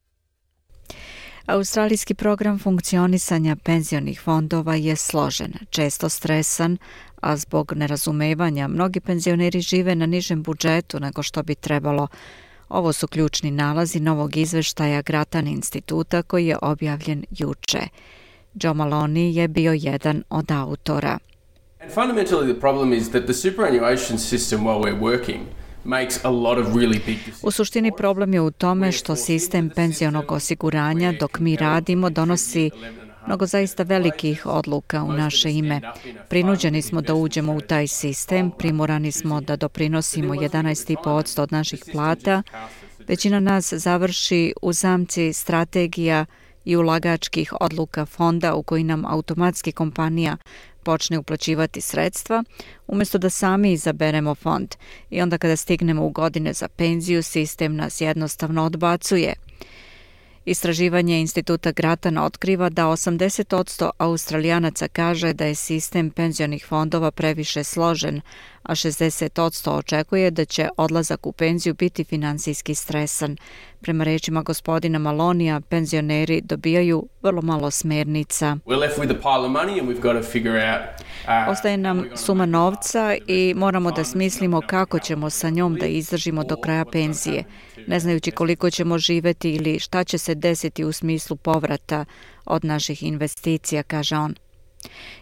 Australijski program funkcionisanja penzionih fondova je složen, često stresan, a zbog nerazumevanja mnogi penzioneri žive na nižem budžetu nego što bi trebalo. Ovo su ključni nalazi novog izveštaja Grattan instituta koji je objavljen juče. Joe Maloney je bio jedan od autora. And fundamentally the problem is that the superannuation system while we're working makes a lot of really big decisions. U suštini problem je u tome što sistem penzionog osiguranja dok mi radimo donosi mnogo zaista velikih odluka u naše ime. Prinuđeni smo da uđemo u taj sistem, primorani smo da doprinosimo 11,5% od naših plata. Većina nas završi u zamci strategija i ulagačkih odluka fonda u koji nam automatski kompanija počne uplaćivati sredstva, umjesto da sami izaberemo fond i onda kada stignemo u godine za penziju, sistem nas jednostavno odbacuje. Istraživanje Instituta Grattan otkriva da 80% Australijanaca kaže da je sistem penzionih fondova previše složen, a 60% očekuje da će odlazak u penziju biti finansijski stresan. Prema rečima gospodina Malonija, penzioneri dobijaju vrlo malo smernica. Ostaje nam suma novca i moramo da smislimo kako ćemo sa njom da izdržimo do kraja penzije, ne znajući koliko ćemo živeti ili šta će se desiti u smislu povrata od naših investicija, kaže on.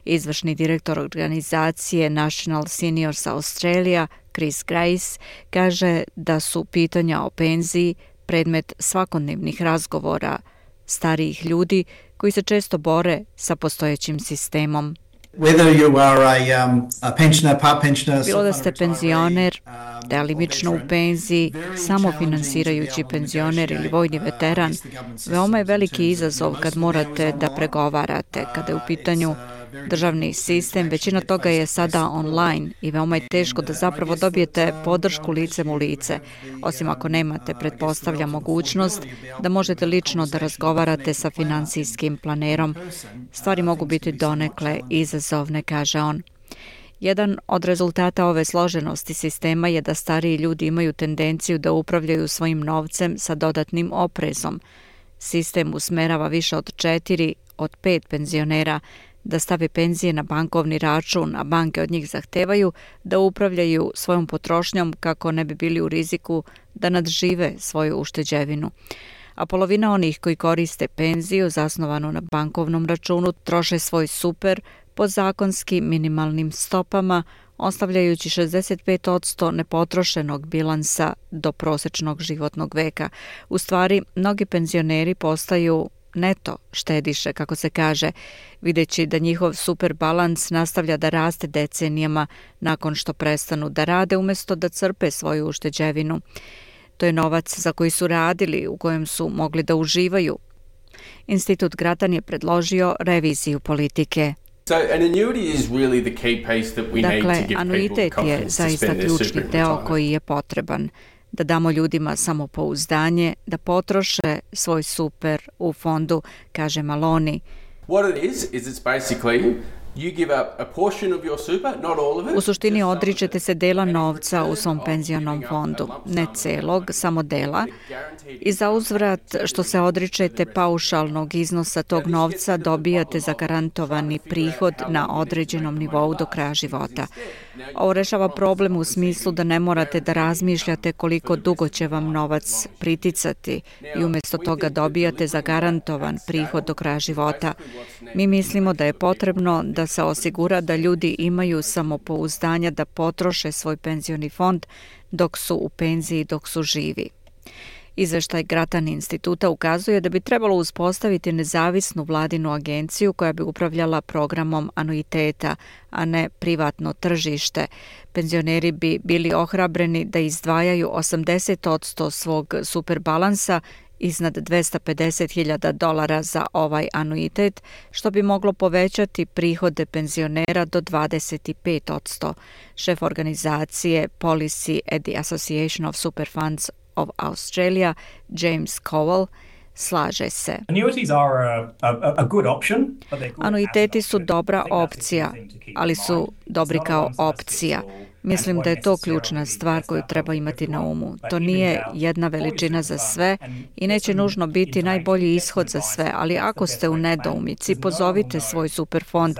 Izvršni direktor organizacije National Seniors Australia, Chris Grace, kaže da su pitanja o penziji predmet svakodnevnih razgovora starijih ljudi koji se često bore sa postojećim sistemom. Bilo da ste penzioner, delimično u penziji, samofinansirajući penzioner ili vojni veteran, veoma je veliki izazov kad morate da pregovarate. Kada je u pitanju državni sistem, većina toga je sada online i veoma je teško da zapravo dobijete podršku licem u lice, osim ako nemate, pretpostavlja, mogućnost da možete lično da razgovarate sa finansijskim planerom. Stvari mogu biti donekle izazovne, kaže on. Jedan od rezultata ove složenosti sistema je da stariji ljudi imaju tendenciju da upravljaju svojim novcem sa dodatnim oprezom. Sistem usmerava više od 4 od 5 penzionera da stave penzije na bankovni račun, a banke od njih zahtevaju da upravljaju svojom potrošnjom kako ne bi bili u riziku da nadžive svoju ušteđevinu. A polovina onih koji koriste penziju zasnovanu na bankovnom računu troše svoj super po zakonski minimalnim stopama, ostavljajući 65% nepotrošenog bilansa do prosečnog životnog veka. U stvari, mnogi penzioneri postaju neto štediše, kako se kaže, videći da njihov super balans nastavlja da raste decenijama nakon što prestanu da rade umjesto da crpe svoju ušteđevinu. To je novac za koji su radili, u kojem su mogli da uživaju. Institut Grattan je predložio reviziju politike. Dakle, anuitet je zaista ključni deo koji je potreban. Da damo ljudima samopouzdanje, da potroše svoj super u fondu, kaže Maloney. U suštini odričete se dela novca u svom penzionom fondu, ne celog, samo dela, i za uzvrat što se odričete paušalnog iznosa tog novca dobijate zagarantovani prihod na određenom nivou do kraja života. Ovo rešava problem u smislu da ne morate da razmišljate koliko dugo će vam novac priticati i umjesto toga dobijate zagarantovan prihod do kraja života. Mi mislimo da je potrebno da se osigura da ljudi imaju samopouzdanja da potroše svoj penzioni fond dok su u penziji, dok su živi. Izveštaj Grattan instituta ukazuje da bi trebalo uspostaviti nezavisnu vladinu agenciju koja bi upravljala programom anuiteta, a ne privatno tržište. Penzioneri bi bili ohrabreni da izdvajaju 80% svog superbalansa iznad $250,000 za ovaj anuitet, što bi moglo povećati prihode penzionera do 25%. Šef organizacije Policy at the Association of Super Funds of Australia, James Cowell, slaže se. Anuiteti su dobra opcija, ali su dobri kao opcija. Mislim da je to ključna stvar koju treba imati na umu. To nije jedna veličina za sve i neće nužno biti najbolji ishod za sve, ali ako ste u nedoumici, pozovite svoj superfond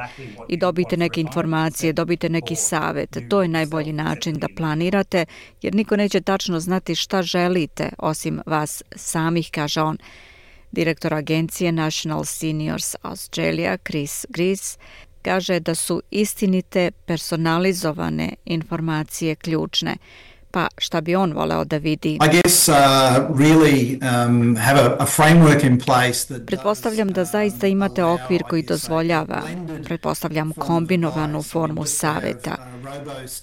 i dobite neke informacije, dobite neki savjet. To je najbolji način da planirate, jer niko neće tačno znati šta želite, osim vas samih, kaže on. Direktor agencije National Seniors Australia, Chris Grace, kaže da su istinite, personalizovane informacije ključne. Pa šta bi on voleo da vidi? Pretpostavljam da zaista imate okvir koji dozvoljava, pretpostavljam kombinovanu formu saveta.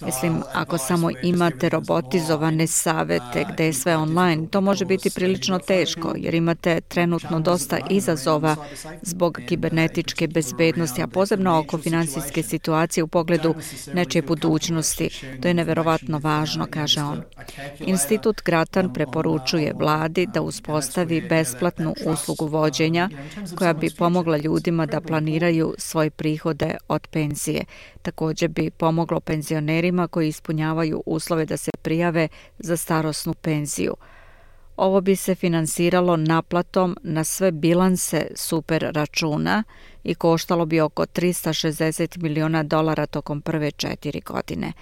Mislim, ako samo imate robotizovane savete gde je sve online, to može biti prilično teško, jer imate trenutno dosta izazova zbog kibernetičke bezbednosti, a posebno oko finansijske situacije u pogledu nečije budućnosti. To je neverovatno važno, kaže on. Institut Gratan preporučuje vladi da uspostavi besplatnu uslugu vođenja koja bi pomogla ljudima da planiraju svoje prihode od penzije. Također bi pomoglo penzionerima koji ispunjavaju uslove da se prijave za starosnu penziju. Ovo bi se finansiralo naplatom na sve bilanse super računa i koštalo bi oko $360 miliona tokom prve 4 godine.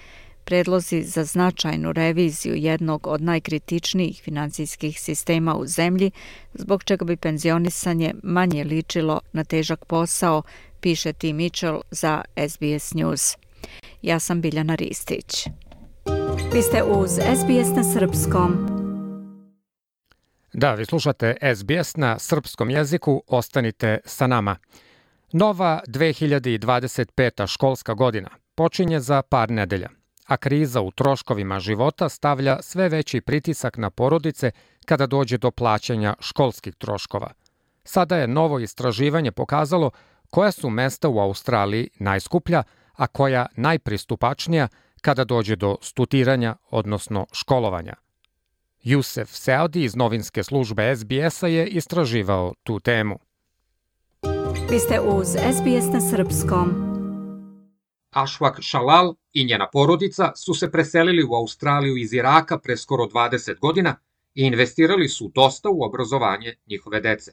Predlozi za značajnu reviziju jednog od najkritičnijih financijskih sistema u zemlji, zbog čega bi penzionisanje manje ličilo na težak posao, piše Tim Mitchell za SBS News. Ja sam Biljana Ristić. Vi ste uz SBS na srpskom. Da, vi slušate SBS na srpskom jeziku, ostanite sa nama. Nova 2025. školska godina počinje za par nedelja, a kriza u troškovima života stavlja sve veći pritisak na porodice kada dođe do plaćanja školskih troškova. Sada je novo istraživanje pokazalo koja su mesta u Australiji najskuplja, a koja najpristupačnija kada dođe do studiranja, odnosno školovanja. Jusef Saudi iz novinske službe SBS-a je istraživao tu temu. Vi ste uz SBS na srpskom. Ashwak Shalal i njena porodica su se preselili u Australiju iz Iraka pre skoro 20 godina i investirali su dosta u obrazovanje njihove dece.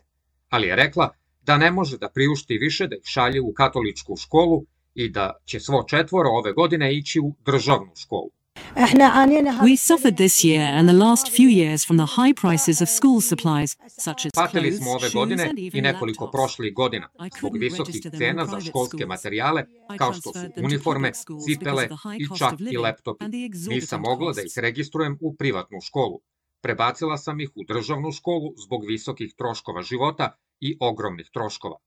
Ali je rekla da ne može da priušti više da ih šalje u katoličku školu i da će svo četvoro ove godine ići u državnu školu. We suffered this year and the last few years from the high prices of school supplies, such as Patili clothes, smo ove shoes godine and i even nekoliko laptops. prošlih godina zbog visokih cena za školske materijale kao što su uniforme, cipele i čak i laptopi. Nisam mogla da ih registrujem u privatnu školu. Prebacila sam ih u državnu školu zbog visokih troškova života i ogromnih troškova.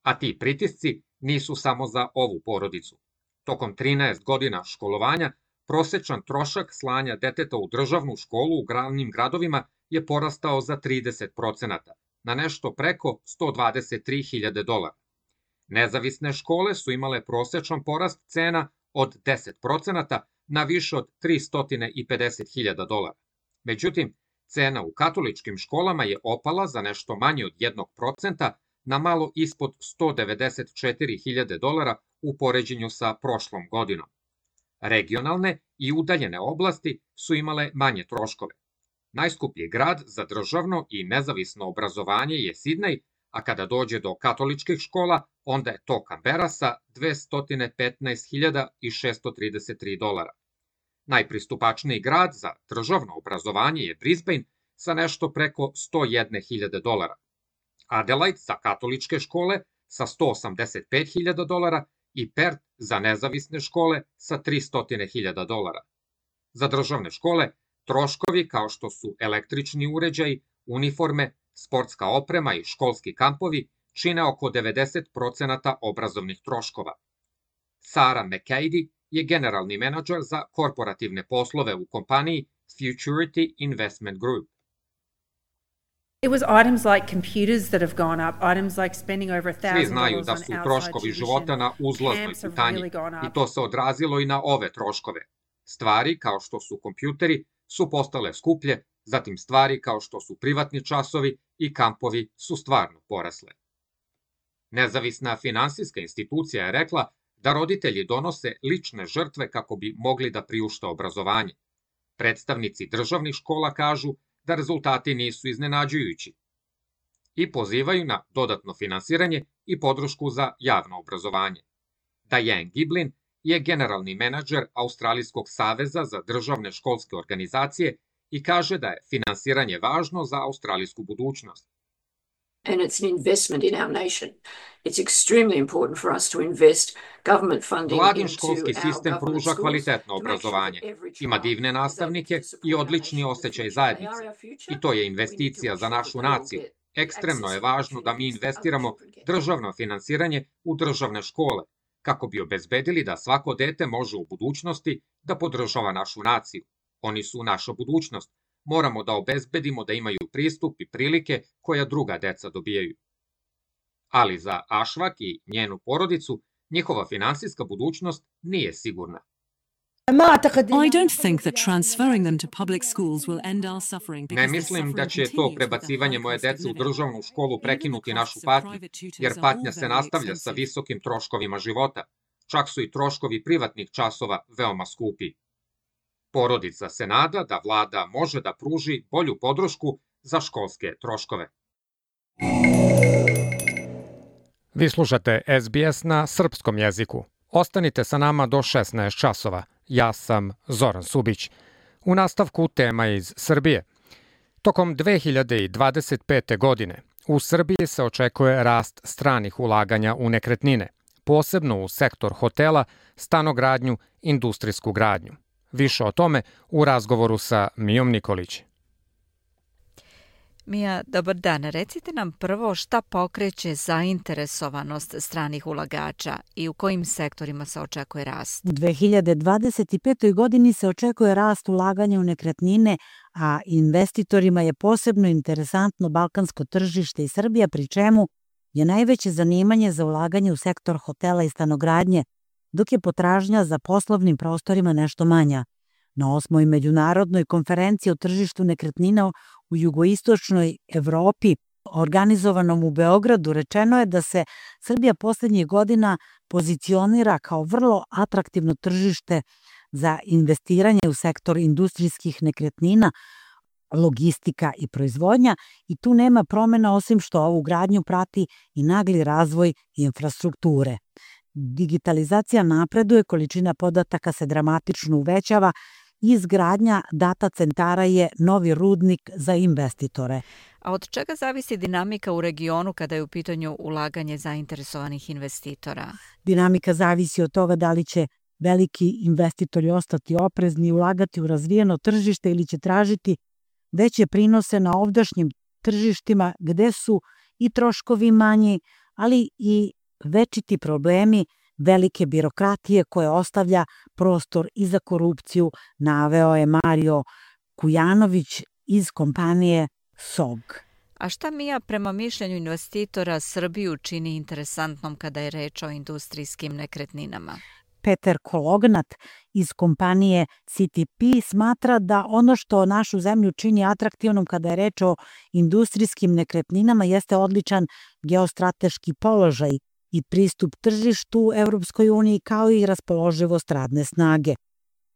A ti pritisci nisu samo za ovu porodicu. Tokom 13 godina školovanja prosečan trošak slanja deteta u državnu školu u glavnim gradovima je porastao za 30%, na nešto preko $123.000. Nezavisne škole su imale prosečan porast cena od 10% na više od $350.000. Međutim, cena u katoličkim školama je opala za nešto manje od 1% na malo ispod $194.000 u poređenju sa prošlom godinom. Regionalne i udaljene oblasti su imale manje troškove. Najskuplji grad za državno i nezavisno obrazovanje je Sidnej, a kada dođe do katoličkih škola, onda je to Kambera sa $215.633. Najpristupačniji grad za državno obrazovanje je Brisbane sa nešto preko $101.000. Adelaide za katoličke škole sa $185.000 i Perth za nezavisne škole sa $300.000. Za državne škole troškovi kao što su električni uređaji, uniforme, sportska oprema i školski kampovi čine oko 90% obrazovnih troškova. Sarah McCady je generalni menadžer za korporativne poslove u kompaniji Futurity Investment Group. It was items like computers that have gone up, items like spending over $1,000 Svi znaju da su troškovi života na uzlaznoj putanji i to se odrazilo i na ove troškove. Stvari kao što su kompjuteri su postale skuplje, zatim stvari kao što su privatni časovi i kampovi su stvarno porasle. Nezavisna finansijska institucija je rekla da roditelji donose lične žrtve kako bi mogli da priušte obrazovanje. Predstavnici državnih škola kažu da rezultati nisu iznenađujući i pozivaju na dodatno finansiranje i podršku za javno obrazovanje. Diane Giblin je generalni menadžer Australijskog saveza za državne školske organizacije i kaže da je finansiranje važno za australijsku budućnost. And it's an investment in our nation. It's extremely important for us to invest government funding Vladin školski sistem pruža kvalitetno obrazovanje, ima divne nastavnike i odlični osjećaj zajednice. I to je investicija za našu naciju. Ekstremno je važno da mi investiramo državno finansiranje u državne škole, kako bi obezbedili da svako dete može u budućnosti da podržava našu naciju. Oni su naša budućnost. Moramo da obezbedimo da imaju pristup i prilike koja druga deca dobijaju. Ali za Ašvak i njenu porodicu njihova finansijska budućnost nije sigurna. I don't think that transferring them to public schools will end our suffering. Ne mislim da će to prebacivanje moje dece u državnu školu prekinuti našu patnju, jer patnja se nastavlja sa visokim troškovima života. Čak su i troškovi privatnih časova veoma skupi. Porodica se nada da vlada može da pruži bolju podršku za školske troškove. Vi slušate SBS na srpskom jeziku. Ostanite sa nama do 16 časova. Ja sam Zoran Subić. U nastavku tema iz Srbije. Tokom 2025. godine u Srbiji se očekuje rast stranih ulaganja u nekretnine, posebno u sektor hotela, stanogradnju, industrijsku gradnju. Više o tome u razgovoru sa Mijom Nikolić. Mija, dobar dan. Recite nam prvo šta pokreće zainteresovanost stranih ulagača i u kojim sektorima se očekuje rast? U 2025. godini se očekuje rast ulaganja u nekretnine, a investitorima je posebno interesantno balkansko tržište i Srbija, pri čemu je najveće zanimanje za ulaganje u sektor hotela i stanogradnje, dok je potražnja za poslovnim prostorima nešto manja. Na 8. međunarodnoj konferenciji o tržištu nekretnina u jugoistočnoj Evropi, organizovanom u Beogradu, rečeno je da se Srbija poslednjih godina pozicionira kao vrlo atraktivno tržište za investiranje u sektor industrijskih nekretnina, logistika i proizvodnja, i tu nema promena osim što ovu gradnju prati i nagli razvoj infrastrukture. Digitalizacija napreduje, količina podataka se dramatično uvećava i izgradnja data centara je novi rudnik za investitore. A od čega zavisi dinamika u regionu kada je u pitanju ulaganje zainteresovanih investitora? Dinamika zavisi od toga da li će veliki investitori ostati oprezni i ulagati u razvijeno tržište ili će tražiti veće prinose na ovdašnjim tržištima gde su i troškovi manji, ali i večiti problemi velike birokratije koje ostavlja prostor i za korupciju, naveo je Mario Kujanović iz kompanije SOG. A šta Mija prema mišljenju investitora Srbiju čini interesantnom kada je reč o industrijskim nekretninama? Peter Kolognat iz kompanije CTP smatra da ono što našu zemlju čini atraktivnom kada je reč o industrijskim nekretninama jeste odličan geostrateški položaj i pristup tržištu Evropskoj uniji kao i raspoloživost radne snage.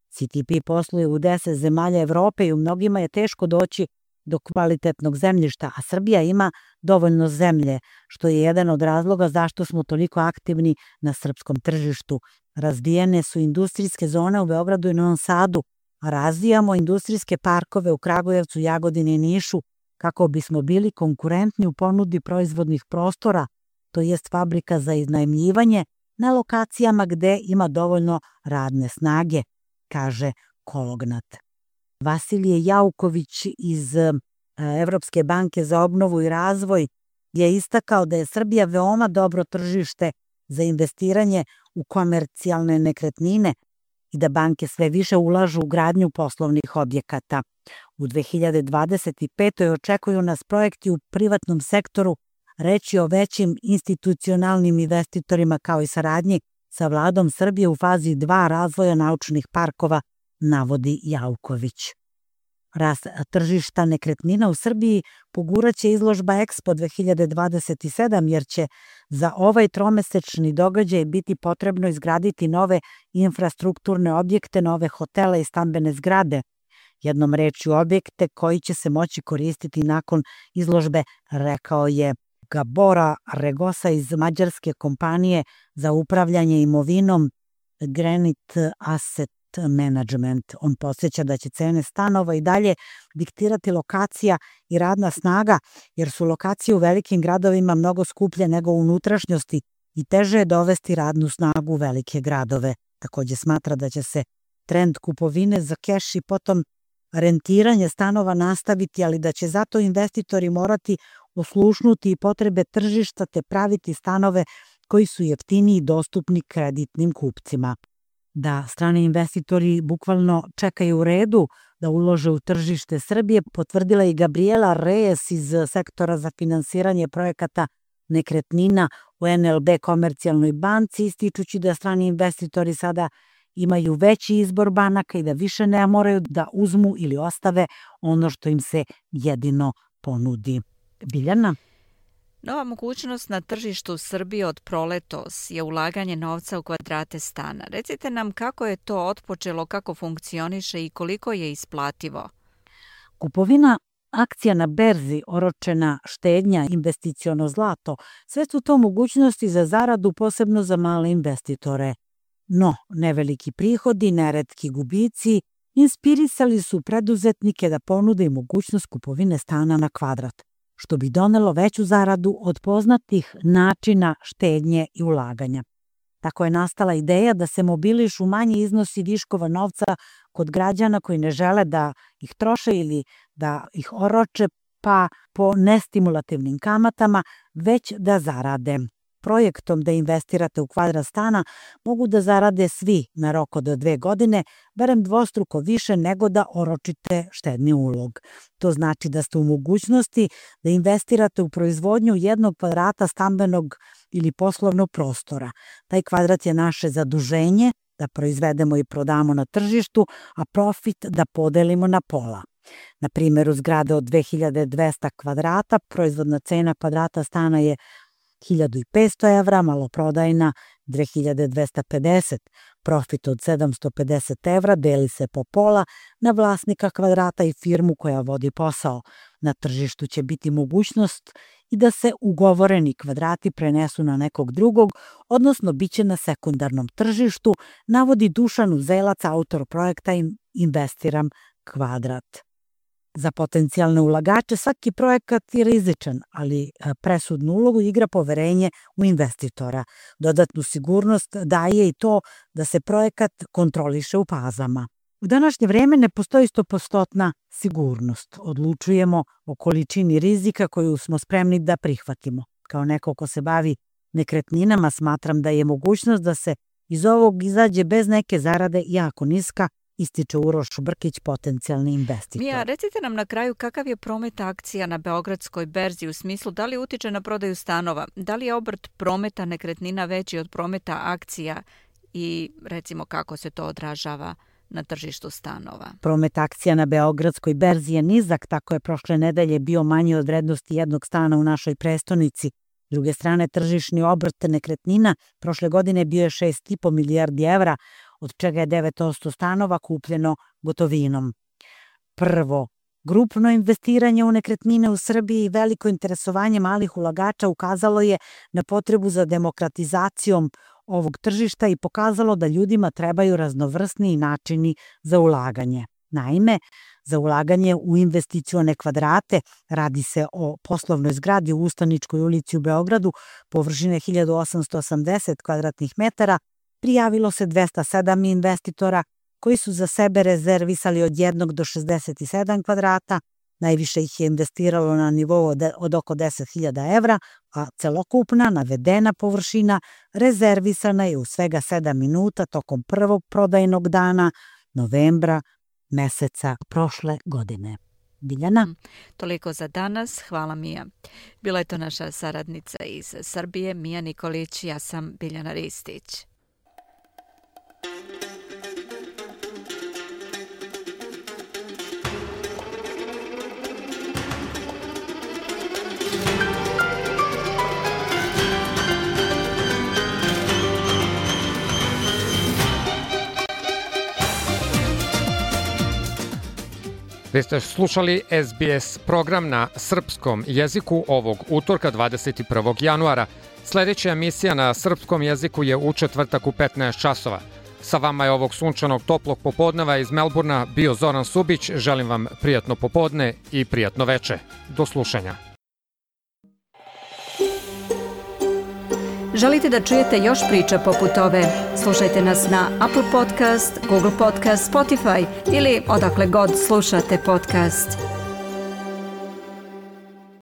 CTP posluje u 10 zemalja Evrope i u mnogima je teško doći do kvalitetnog zemljišta, a Srbija ima dovoljno zemlje, što je jedan od razloga zašto smo toliko aktivni na srpskom tržištu. Razvijene su industrijske zone u Beogradu i Novom Sadu, a razvijamo industrijske parkove u Kragujevcu, Jagodini i Nišu kako bismo bili konkurentni u ponudi proizvodnih prostora, to jest fabrika za iznajmljivanje na lokacijama gde ima dovoljno radne snage, kaže Kolognat. Vasilije Jauković iz Evropske banke za obnovu i razvoj je istakao da je Srbija veoma dobro tržište za investiranje u komercijalne nekretnine i da banke sve više ulažu u gradnju poslovnih objekata. U 2025. očekuju nas projekti u privatnom sektoru, reći o većim institucionalnim investitorima kao i saradnji sa vladom Srbije u fazi 2 razvoja naučnih parkova, navodi Jauković. Rast tržišta nekretnina u Srbiji poguraće izložba Expo 2027 jer će za ovaj tromesečni događaj biti potrebno izgraditi nove infrastrukturne objekte, nove hotele i stambene zgrade. Jednom rečju objekte koji će se moći koristiti nakon izložbe, rekao je Gabora Regosa iz mađarske kompanije za upravljanje imovinom Granite Asset Management. On podsjeća da će cene stanova i dalje diktirati lokacija i radna snaga, jer su lokacije u velikim gradovima mnogo skuplje nego u unutrašnjosti i teže je dovesti radnu snagu u velike gradove. Takođe smatra da će se trend kupovine za keš i potom rentiranje stanova nastaviti, ali da će zato investitori morati oslušnuti i potrebe tržišta te praviti stanove koji su jeftiniji i dostupni kreditnim kupcima. Da strani investitori bukvalno čekaju u redu da ulože u tržište Srbije, potvrdila i Gabriela Reyes iz sektora za finansiranje projekata nekretnina u NLB Komercijalnoj banci, ističući da strani investitori sada imaju veći izbor banaka i da više ne moraju da uzmu ili ostave ono što im se jedino ponudi. Biljana? Nova mogućnost na tržištu Srbije od proletos je ulaganje novca u kvadrate stana. Recite nam kako je to otpočelo, kako funkcioniše i koliko je isplativo. Kupovina akcija na berzi, oročena štednja, investiciono zlato, sve su to mogućnosti za zaradu, posebno za male investitore. No, neveliki prihodi, neretki gubici, inspirisali su preduzetnike da ponude i mogućnost kupovine stana na kvadrat, što bi donelo veću zaradu od poznatih načina štednje i ulaganja. Tako je nastala ideja da se mobilišu manji iznosi viškova novca kod građana koji ne žele da ih troše ili da ih oroče pa po nestimulativnim kamatama, već da zarade. Projektom da investirate u kvadrat stana mogu da zarade svi na rok od 2 godine, barem dvostruko više nego da oročite štedni ulog. To znači da ste u mogućnosti da investirate u proizvodnju 1 kvadrata stambenog ili poslovnog prostora. Taj kvadrat je naše zaduženje da proizvedemo i prodamo na tržištu, a profit da podelimo na pola. Na primjeru zgrade od 2200 kvadrata, proizvodna cena kvadrata stana je 1500 evra, maloprodajna 2250. Profit od 750 evra deli se po pola na vlasnika kvadrata i firmu koja vodi posao. Na tržištu će biti mogućnost i da se ugovoreni kvadrati prenesu na nekog drugog, odnosno bit će na sekundarnom tržištu, navodi Dušan Uzelac, autor projekta Investiram kvadrat. Za potencijalne ulagače svaki projekat je rizičan, ali presudnu ulogu igra poverenje u investitora. Dodatnu sigurnost daje i to da se projekat kontroliše u fazama. U današnje vreme ne postoji 100% sigurnost. Odlučujemo o količini rizika koju smo spremni da prihvatimo. Kao neko ko se bavi nekretninama, smatram da je mogućnost da se iz ovog izađe bez neke zarade jako niska, ističe Uroš Brkić, potencijalni investitor. Mija, recite nam na kraju kakav je promet akcija na Beogradskoj berzi u smislu da li utiče na prodaju stanova, da li je obrt prometa nekretnina veći od prometa akcija i recimo kako se to odražava na tržištu stanova. Promet akcija na Beogradskoj berzi je nizak, tako je prošle nedelje bio manji od vrednosti jednog stana u našoj prestonici. S druge strane, tržišni obrt nekretnina prošle godine bio je 6,5 milijardi evra, od čega je 9% stanova kupljeno gotovinom. Prvo, grupno investiranje u nekretnine u Srbiji i veliko interesovanje malih ulagača ukazalo je na potrebu za demokratizacijom ovog tržišta i pokazalo da ljudima trebaju raznovrsniji načini za ulaganje. Naime, za ulaganje u investicione kvadrate radi se o poslovnoj zgradi u Ustaničkoj ulici u Beogradu površine 1880 kvadratnih metara, prijavilo se 207 investitora koji su za sebe rezervisali od 1 do 67 kvadrata, najviše ih je investiralo na nivou od oko 10.000 evra, a celokupna navedena površina rezervisana je u svega 7 minuta tokom prvog prodajnog dana novembra meseca prošle godine. Biljana? Toliko za danas. Hvala, Mija. Bila je to naša saradnica iz Srbije, Mija Nikolić, ja sam Biljana Ristić. Vi ste slušali SBS program na srpskom jeziku ovog utorka 21. januara. Sljedeća emisija na srpskom jeziku je u četvrtak u 15 časova. Sa vama je ovog sunčanog toplog popodneva iz Melburna bio Zoran Subić. Želim vam prijatno popodne i prijatno veče. Do slušanja. Želite da čujete još priča poput ove? Slušajte nas na Apple Podcast, Google Podcast, Spotify ili odakle god slušate podcast.